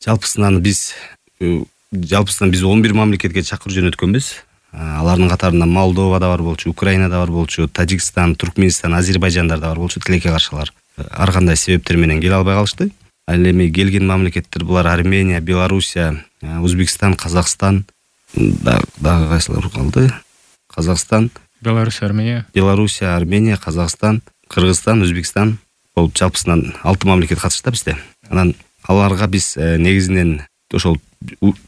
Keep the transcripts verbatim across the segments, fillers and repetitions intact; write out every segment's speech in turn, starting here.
жалпысынан биз жалпысынан биз он бир мамлекетке чакыруу жөнөткөнбүз. Алардын катарында Молдова да бар болчу, Украина да бар болчу, Тажикстан, Туркменистан, Азербайжандар да бар болчу. Тилекке каршылар ар кандай себептер менен келе албай калышты. Ал эми келген мамлекеттер булар Армения, Белоруссия, Өзбекстан, Казакстан, дагы кайсылар калды? Казакстан, Белоруссия, Армения, Белоруссия, Армения, Казакстан, Кыргызстан, Өзбекстан болуп жалпысынан алты мамлекет катышты бизде. Анан аларга биз негизинен ошол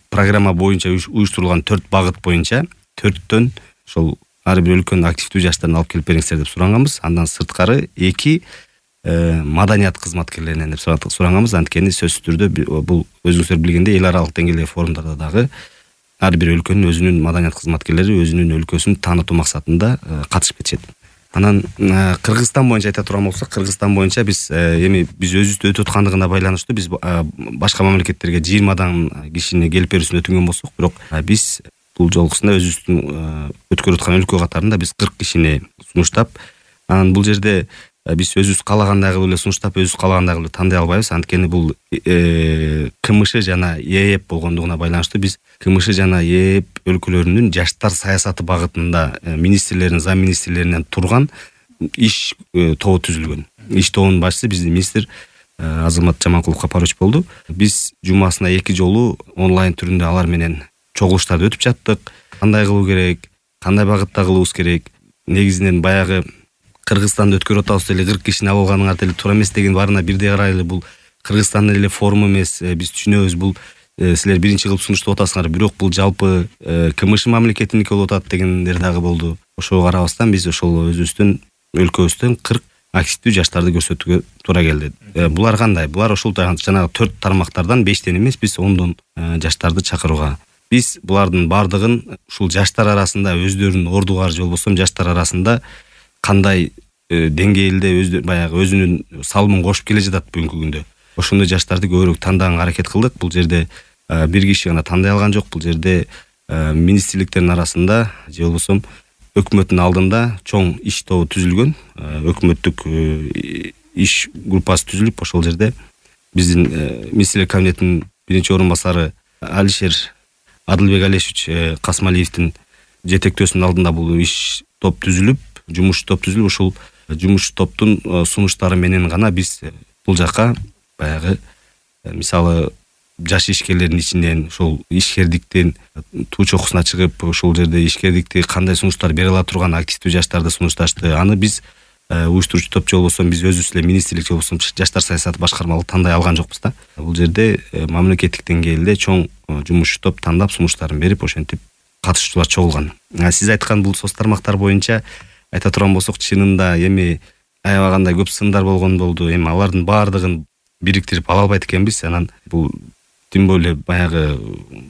программа боюнча уюштурулган төрт багыт боюнча төрттөн ошол ар бир өлкөнүн активдүү жаштарын алып келип бериңиздер деп суранганбыз. Андан сырткары эки маданият кызматкерлеринен деп суранганбыз. Анткени сөзсүз түрдө бул өзүңүздөр билгендей эл аралык деңгээлдеги форумдарда дагы ар бир өлкөнүн өзүнүн маданият кызматкерлери өзүнүн өлкөсүн таанытуу максатында катышып кетишет. Анан Кыргызстан боюнча айта турган болсок, Кыргызстан боюнча биз эми биз өзүбүздө өтүп аткандыгына байланыштуу биз башка мамлекеттерге жыйырмадан кишини келип берүүсүн өтүнгөн болсок, бирок биз бул жолкусунда өзүбүздүн өткөрүп аткан өлкө катарында биз кырк кишини сунуштап, анан бул жерде биз өзүбүз каалагандай кылып эле сунуштап, өзүбүз каалагандай кылып тандай албайбыз. Анткени бул КМШ жана ЕЭП болгондугуна байланыштуу биз КМШ жана ЕЭП өлкөлөрүнүн жаштар саясаты багытында министрлердин, зам министрлеринен турган иш тобу түзүлгөн. Иш тобунун башчысы биздин министр Азамат Жаманкулов Капарович болду. Биз жумасына эки жолу онлайн түрүндө алар менен чогулуштарды өтүп жаттык. Кандай кылуу керек, кандай багытта кылуубуз керек, негизинен баягы Кыргызстанда өткөрүп атабыз деле кырк кишини алып алганыңар деле туура эмес деген баарына бирдей карайлы. Бул Кыргызстандын эле форуму эмес, биз түшүнөбүз, бул силер биринчи кылып сунуштап атасыңар, бирок бул жалпы КМШ мамлекетиники болуп атат дегендер дагы болду. Ошого карабастан биз ошол өзүбүздүн өлкөбүздөн кырк активдүү жаштарды көрсөтүүгө туура келди. Булар кандай? Булар ошол жанагы төрт тармактардан бештен эмес, биз ондон жаштарды чакырууга. Биз булардын бардыгын ушул жаштар арасында өздөрүнүн ордугары же болбосо жаштар арасында кандай деңгээлде өздөрү баягы өзүнүн салымын кошуп келе жатат бүгүнкү күндө. Ошондой жаштарды көбүрөөк тандааганга аракет кылдык. Бул жерде бир киши гана тандай алган жок. Бул жерде министрликтердин арасында же болбосо өкмөттүн алдында чоң иш тобу түзүлгөн. Өкмөттүк иш группасы түзүлүп, ошол жерде биздин министрлер кабинетинин биринчи орун басары Алишер Адылбек Алешевич Касмалиевдин жетектөөсүнүн алдында бул иш топ түзүлүп, жумуш топ түзүлүп, ушул жумуш топтун сунуштары менен гана биз бул жака баягы мисалы жаш ишкерлердин ичинен ушул ишкердиктин туу чокусуна чыгып, ушул жерде ишкердикти кандай сунуштар бере ала турган активдүү жаштарды сунушташты. Аны биз уюштуруучу топ же болбосо биз өзүбүз эле министрлик же болбосо жаштар саясаты башкармалык тандай алган жокпуз да. Бул жерде мамлекеттик деңгээлде чоң жумуш топ тандап сунуштарын берип, ошентип катышуучулар чогулган. Сиз айткан бул соц тармактар боюнча айта турган болсок, чынында эми аябагандай көп сындар болгон болду. Эми алардын баардыгын бириктирип ала албайт экенбиз. Анан бул тем более баягы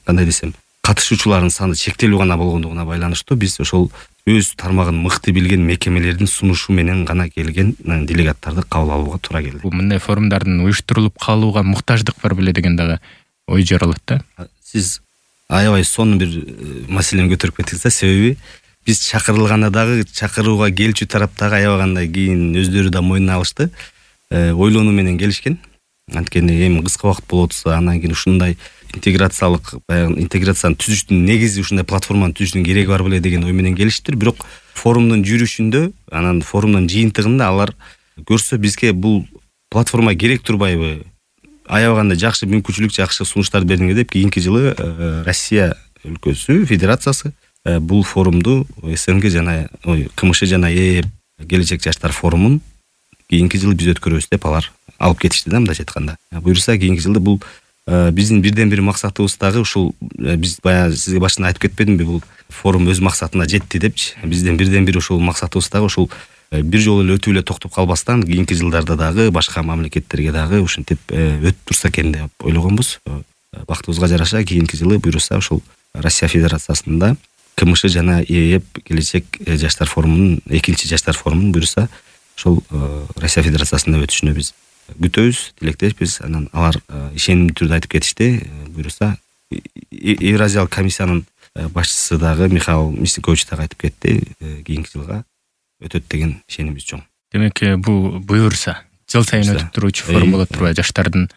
кандай десем, катышуучулардын саны чектелүү гана болгондугуна байланыштуу биз ошол өз тармагын мыкты билген мекемелердин сунушу менен гана келген делегаттарды кабыл алууга туура келди. Бул мындай форумдардын уюштурулуп калууга муктаждык бар беле деген дагы ой жаралат да. Сиз аябай сонун бир маселени көтөрүп кеттиңиз да. Себеби биз чакырылганда дагы чакырууга келчү тараптагы аябагандай кийин өздөрү да мойнуна алышты. Ойлонуу менен келишкен. Анткени эми кыска убакыт болуп атса, анан кийин ушундай интеграциялык баягы интеграцияны түзүштүн негизи, ушундай платформаны түзүштүн кереги бар беле деген ой менен келиштир. Бирок форумдун жүрүшүндө, анан форумдун жыйынтыгында алар көрсө бизге бул платформа керек турбайбы? Аябагандай жакшы мүмкүнчүлүк, жакшы сунуштарды бердиңер деп кийинки жылы Россия өлкөсү, федерациясы бул форумду СНГ жана КМШ жана ЕЭП келечек жаштар форумун кийинки жылы биз өткөрөбүз деп алар алып кетишти да, мындайча айтканда. Буюрса кийинки жылда бул биздин бирден бир максатыбыз дагы ушул, биз баягы сизге башында айтып кетпедимби, бул форум өз максатына жетти депчи. Биздин бирден бир ушул максатыбыз дагы ушул бир жолу эле өтүп эле токтоп калбастан кийинки жылдарда дагы башка мамлекеттерге дагы ушинтип өтүп турса экен деп ойлогонбуз. Бактыбызга жараша кийинки жылы буюрса ушул Россия Федерациясында КМШ жана ЕЭП келечек жаштар форумунун, экинчи жаштар форумунун буюрса ошол Россия Федерациясында өтүшүнө биз күтөбүз, тилектешпиз. Анан алар ишенимдүү түрдө айтып кетишти. Буюрса Евразиялык комиссиянын башчысы дагы Михаил Мясникович дагы айтып кетти, кийинки жылга өтөт деген ишенимибиз чоң. Демек бул буюрса жыл сайын өтүп туруучу форум болот турбайбы? Жаштардын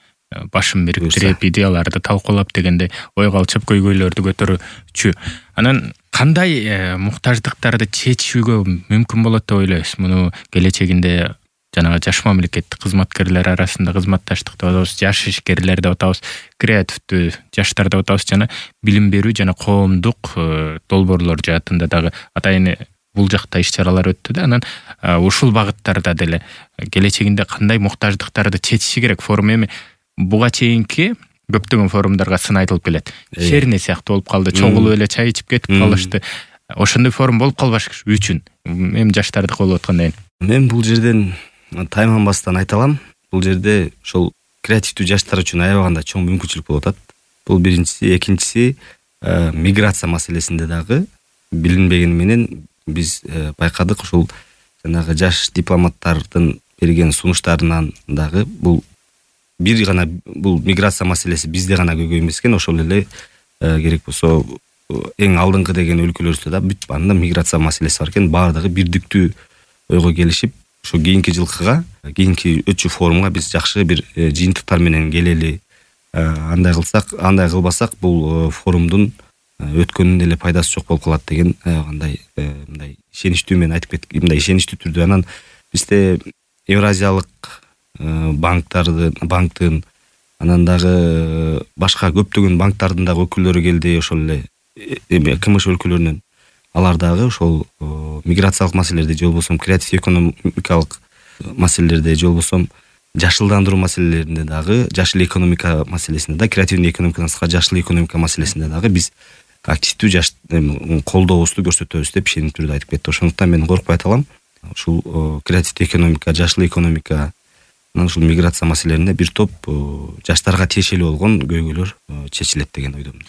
башын бириктирип идеяларды талкуулап дегенде ойго алчып көйгөйлөрдү көтөрүүчү. Анан кандай муктаждыктарды чечүүгө мүмкүн болот деп ойлойсуз? Муну келечегинде жанагы жаш мамлекеттик кызматкерлер арасында кызматташтык деп атабыз, жаш ишкерлер деп атабыз, креативдүү жаштар деп атабыз жана билим берүү жана коомдук долбоорлор жаатында дагы атайын бул жакта иш-чаралар өттү да. Анан ушул багыттарда деле келечегинде кандай муктаждыктарды чечиши керек форум? Эми буга чейинки көптөгөн форумдарга сын айтылып келет. Шерне сыяктуу болуп калды, чогулуп эле чай ичип кетип калышты. Ошондой форум болуп калбаш үчүн эми жаштардыкы болуп аткандай. Мен бул жерден тайманбастан айта алам. Бул жерде ошол креативдүү жаштар үчүн аябаганда чоң мүмкүнчүлүк болуп атат. Бул биринчиси, экинчиси миграция маселесинде дагы билинбегени менен биз байкадык. Ушул жанагы жаш дипломаттардын берген сунуштарынан дагы бул бир гана бул миграция маселеси бизде гана көйгөй эмес экен. Ошол эле керек болсо эң алдыңкы деген өлкөлөрдө да бүт баында миграция маселеси бар экен. Баардыгы бирдиктүү ойго келишип, ушу кийинки жылкыга, кийинки өтчү форумга биз жакшы бир жыйынтыктар менен келели. Андай кылсак, андай кылбасак бул форумдун өткөнүнүн эле пайдасы жок болуп калат деген кандай мындай ишеничтүү мен айтып кеттик, мындай ишеничтүү түрдө. Анан бизде Евразиялык банктардын, банктын, анан дагы башка көптөгөн банктардын дагы өкүлдөрү келди, ошол эле эми КМШ өлкөлөрүнөн. Алар дагы ошол миграциялык маселелерде, же болбосо креатив экономикалык маселелерде, же болбосо жашылдандыруу маселелеринде дагы, жашыл экономика маселесинде да, креативдүү экономикадан сырткары жашыл экономика маселесинде дагы биз активдүү жаш колдообузду көрсөтөбүз деп ишенип түрдө айтып кетти. Ошондуктан мен коркпой айта алам. Ушул креативдүү экономика, жашыл экономика, анан ушул миграция маселелеринде бир топ жаштарга тиешелүү болгон көйгөйлөр чечилет деген ойдомун.